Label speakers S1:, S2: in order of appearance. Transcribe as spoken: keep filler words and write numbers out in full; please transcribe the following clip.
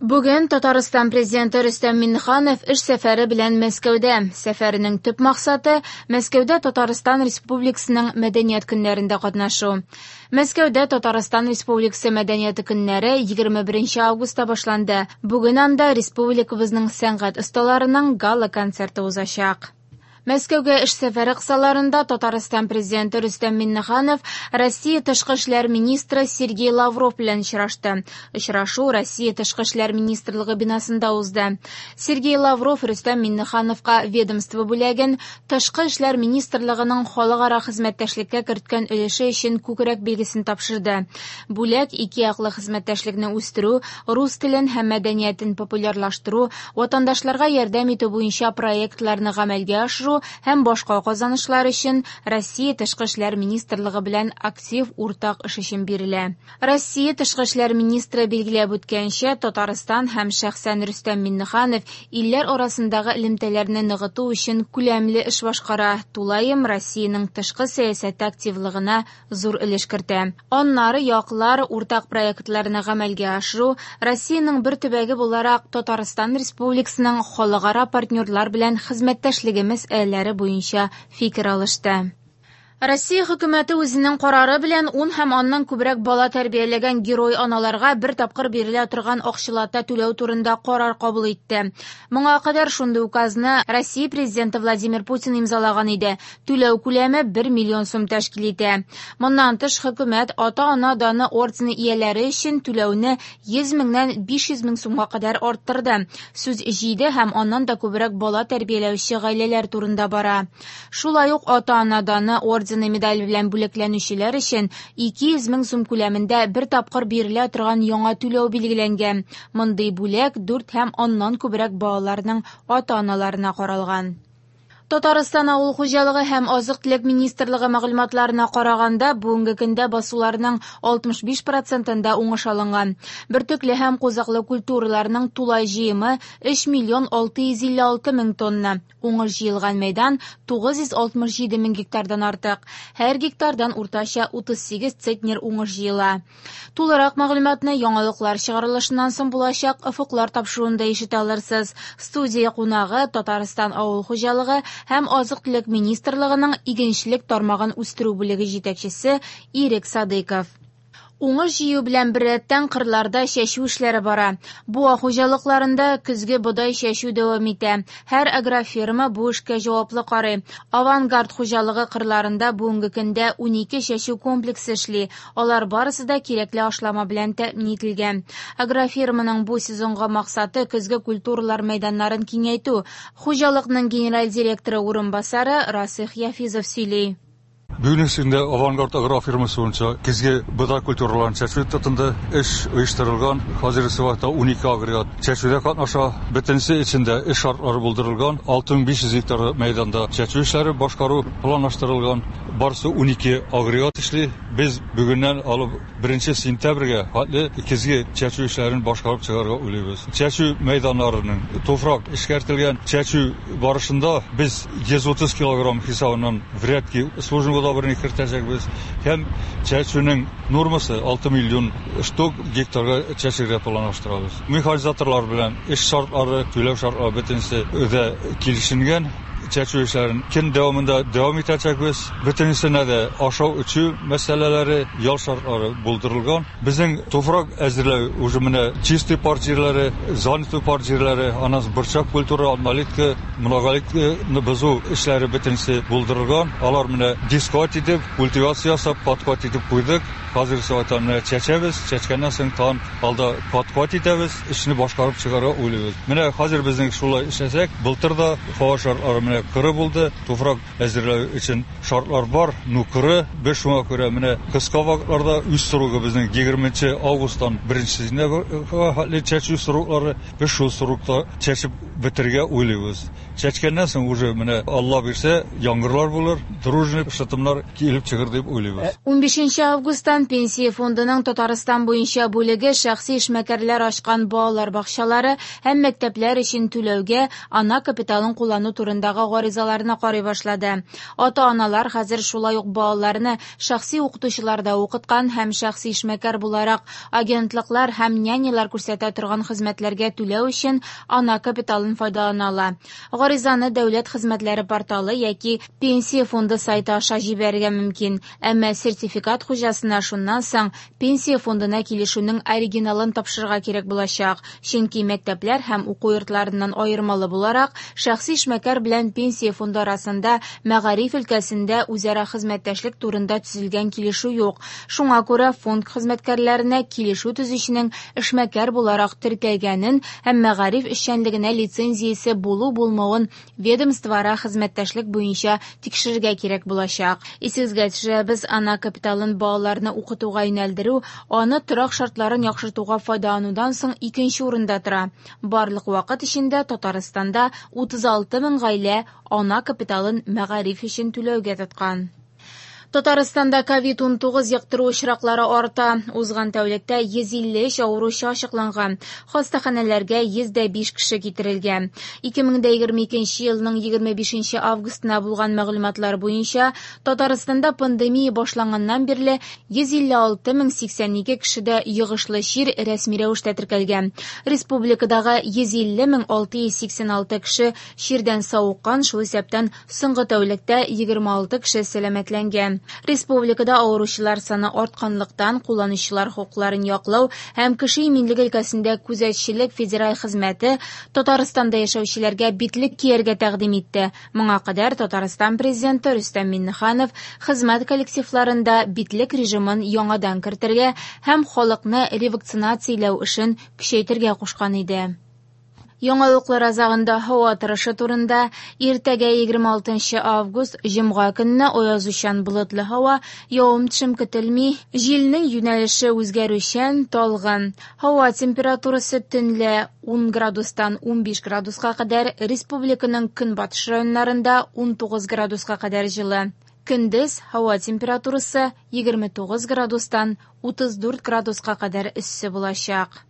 S1: Бүген Татарстан президенты Рөстәм Миңнеханов эш сәфәре белән Мәскәүдә. Сәфәренең төп максаты Мәскәүдә Татарстан Республикасының мәдәният көннәрендә катнашу. Мәскәүдә Татарстан Республикасы мәдәнияте көннәре егерме беренче августта башланды. Бүген анда республикабызның сәнгать осталарының гала-концерты узачак. Мәскәүгә эш сәфәре кысаларында Татарстан президенты Рөстәм Миңнеханов Россия тышкы эшләр министры Сергей Лавров белән очрашты. Очрашу Россия тышкы эшләр министрлыгы бинасында узды. Сергей Лавров Рөстәм Миңнехановка ведомство бүләген Тышкы эшләр министрлыгының халыкара хезмәттәшлеккә керткән өлеше өчен күкрәк билгесен тапшырды. Бүләк ике яклы хезмәттәшлекне үстерү, рус телен һәм мәдәниятен популярлаштыру, ватандашларга ярдәм итү буенча проектларны гамәлгә ашыру һәм башка казанышлар өчен Россия тышкы эшләр министрлыгы белән актив уртак эш өчен бирелә. Россия тышкы эшләр министры билгеләп үткәнчә, Татарстан һәм шәхсән Рөстәм Миңнеханов илләр арасындагы элемтәләрне ныгыту өчен күләмле эш башкара. Тулаем Россиянең тышкы сәясәте активлыгына зур өлеш кертә. Аннары яклар уртак проектларны гамәлгә ашыру, Россиянең бер төбәге буларак Татарстан Республикасының халыкара партнерлар белән хезмәттәшлеге мәсьәләләре буенча фикер алышты. Россия хөкүмәте үзенең карары белән ун һәм аннан күбрәк бала тәрбияләгән герой аналарга бер тапкыр бирелә торган акчалата түләү турында карар кабул итте. Моңа кадәр шундый указны Россия президенты Владимир Путин имзалаган иде. Түләү күләме бер миллион сум тәшкил итә. Моннан тыш хөкүмәт ата-ана даны ордены ияләре өчен түләүне йөз меңнән биш йөз мең сумга кадәр арттырды. Сүз җиде һәм аннан да күбрәк бала тәрбияләүче гаиләләр турында бара. Шулай ук ата-ана даны ордены медаль белән бүләкләнүчеләр өчен ике йөз мең сум күләмендә бер тапкыр бирелә торган яңа түләү билгеләнгән. Мондый бүләк дүрт һәм аннан күбрәк балаларның ата-аналарына каралган. Татарстан Авыл хуҗалыгы һәм азык-төлек министрлыгы мәгълүматларына караганда, бүгенге көндә басуларның алтмыш биш процентында уңыш алынган. Бөртекле һәм кузаклы культураларның тулай җыемы өч миллион алты йөз илле алты мең тонна. Уңыш җыелган мәйдан тугыз йөз алтмыш җиде мең гектардан артык. Һәр гектардан уртача утыз сигез центнер уңыш җыела. Тулырак мәгълүматны яңалыклар чыгарылышыннан соң булачак офыклар тапшыруында ишетә алырсыз. Студия кунагы Татарстан Авыл хуҗалыгы һәм азык-төлек министрлыгының игенчелек тармагын үстерү бүлеге җитәкчесе Ирек Садыйков. Уңыш җыю белән беррәттән кырларда чәчү эшләре бара. Буа хуҗалыкларында көзге бодай чәчү дәвам итә. Һәр агрофирма бу эшкә җаваплы карый. Авангард хуҗалыгы кырларында бүгенге көндә унике чәчү комплексы эшли. Алар барысы да кирәкле ашлама белән тәэмин ителгән. Агрофирманың бу сезонга максаты көзге культуралар мәйданнарын киңәйтү. Хуҗалыкның генераль директоры урынбасары Расих Яфизов сөйли.
S2: Бүгенге көндә Авангард агрофирмасы буенча көзге бодай культураларын чәчү тотынды. Эш оештырылган. Хәзерге вакытта унике агрегат чәчүдә катнаша. Бөтенесе эчендә эш шартлары булдырылган. Алты мең биш йөз гектар мәйданда чәчү эшләре башкару планлаштырылган. Барысы унике агрегат эшли. Без бүгеннән алып беренче сентябрьгә хәтле көзге чәчү эшләрен башкарып чыгарга уйлыйбыз. Чәчү мәйданнарының туфрак эшкәртелгән. Чәчү барышында без йөз утыз килограмм хисабыннан врядки службага берне кертәчәкбез. Һәм чәчүнең нормасы алты миллион штук гектарга чәчергә планлаштырабыз. Механизаторлар белән эш шартлары, түләү шартлары бөтенесе дә килешенгән. Чәчү эшләрен көн дәвамында дәвам итәчәкбез. Бөтенесенә дә ашау эчү мәсьәләләре, ял шартлары булдырылган. Безнең туфрак әзерләү уже менә чистый пар җирләре, занятый пар җирләре, аннан борчак культура, однолетка, многолетканы бозу эшләре бөтенесе булдырылган. Алар менә дискот итеп, культивация ясап, подкот итеп куйдык. Хәзер вакытта менә чәчәбез, чәчкәннән соң тагын алда подкот итәбез, эшне башкарып чыгарга уйлыйбыз. Менә хәзер безнең шулай эшләсәк, былтыр да һава шартлары менә кыры булды, туфрак әзерләү өчен шартлар бар, ну кыры. Без шуңа күрә менә кыска вакытларда үз срогы безнең егерменче августтан беренче сентябрьгә хәтле чәчү сроклары, без шул срокта чәчеп бетерергә уйлыйбыз. Чәчкәннән соң уже менә Алла бирсә, яңгырлар булыр, дружный шытымнар килеп чыгыр дип уйлыйбыз.
S1: Унбишенче августтан Пенсия фондының Татарстан буенча бүлеге шәхси эшмәкәрләр ачкан балалар бакчалары һәм мәктәпләр өчен түләүгә ана капиталын куллану турындагы турындагы гаризаларны карый башлады. Ата-аналар хәзер шулай ук балаларны шәхси укытучыларда укыткан һәм шәхси эшмәкәр буларак агентлыклар һәм нянялар күрсәтә торган хезмәтләргә түләү өчен ана капиталын файдалана ала. Гаризаны дәүләт хезмәтләре порталы яки Пенсия фонды сайты аша җибәрергә мөмкин. Әмма сертификат хуҗасына шуннан соң Пенсия фондына килешүнең оригиналын тапшырырга кирәк булачак. Чөнки мәктәпләр һәм уку йортларыннан аермалы буларак, шәхси эшмәкәр белән Пенсия фонды арасында мәгариф өлкәсендә үзара хезмәттәшлек турында төзелгән килешү юк. Шуңа күрә фонд хезмәткәрләренә килешү төзүченең эшмәкәр буларак теркәлгәнен һәм мәгариф эшчәнлегенә лицензиясе булу-булмавын ведомствоара хезмәттәшлек буенча тикшерергә кирәк булачак. Исегезгә төшерәбез, ана капиталын балаларны укытуга юнәлдерү, аны торак шартларын яхшыртуга файдаланудан соң икенче урында тора. Барлык вакыт эчендә Татарстанда утыз алты мең гаилә ана капиталын мәгариф өчен түләүгә тоткан. Татарстанда ковид ун тугыз йоктыру очраклары арта. Узган тәүлектә йөз илле өч авыручы ачыкланган. Хастаханәләргә йөз дә биш кеше китерелгән. Ике мең дә егерме икенче елның егерме бишенче августына булган мәгълүматлар буенча Татарстанда пандемия башланганнан бирле йөз илле алты мең сиксән ике кешедә йогышлы чир рәсми рәвештә теркәлгән. Республикадагы йөз илле мең алты йөз сиксән алты кеше чирдән савыккан, шул исәптән соңгы тәүлектә егерме алты кеше сәламәтләнгән. Республикада авыручылар саны артканлыктан кулланучылар хокукларын яклау һәм кеше иминлеге өлкәсендә күзәтчелек федераль хезмәте Татарстанда яшәүчеләргә битлек кияргә тәкъдим итте. Моңа кадәр Татарстан президенты Рөстәм Миңнеханов хезмәт коллективларында битлек режимын яңадан кертергә һәм халыкны ревакцинацияләү эшен көчәйтергә кушкан иде. Яңалыклар азагында һава торышы турында. Иртәгә егерме алтынчы август җомга көнне аязучан болытлы һава, явым-төшем көтелми, җилнең юнәлеше үзгәрүчән, талгын. Һава температурасы төнлә ун градустан унбиш градуска кадәр, республиканың көнбатыш районнарында ун тугыз градуска кадәр җылы. Көндез һава температурасы егерме тугыз градустан утыз дүрт градуска кадәр эссе булачак.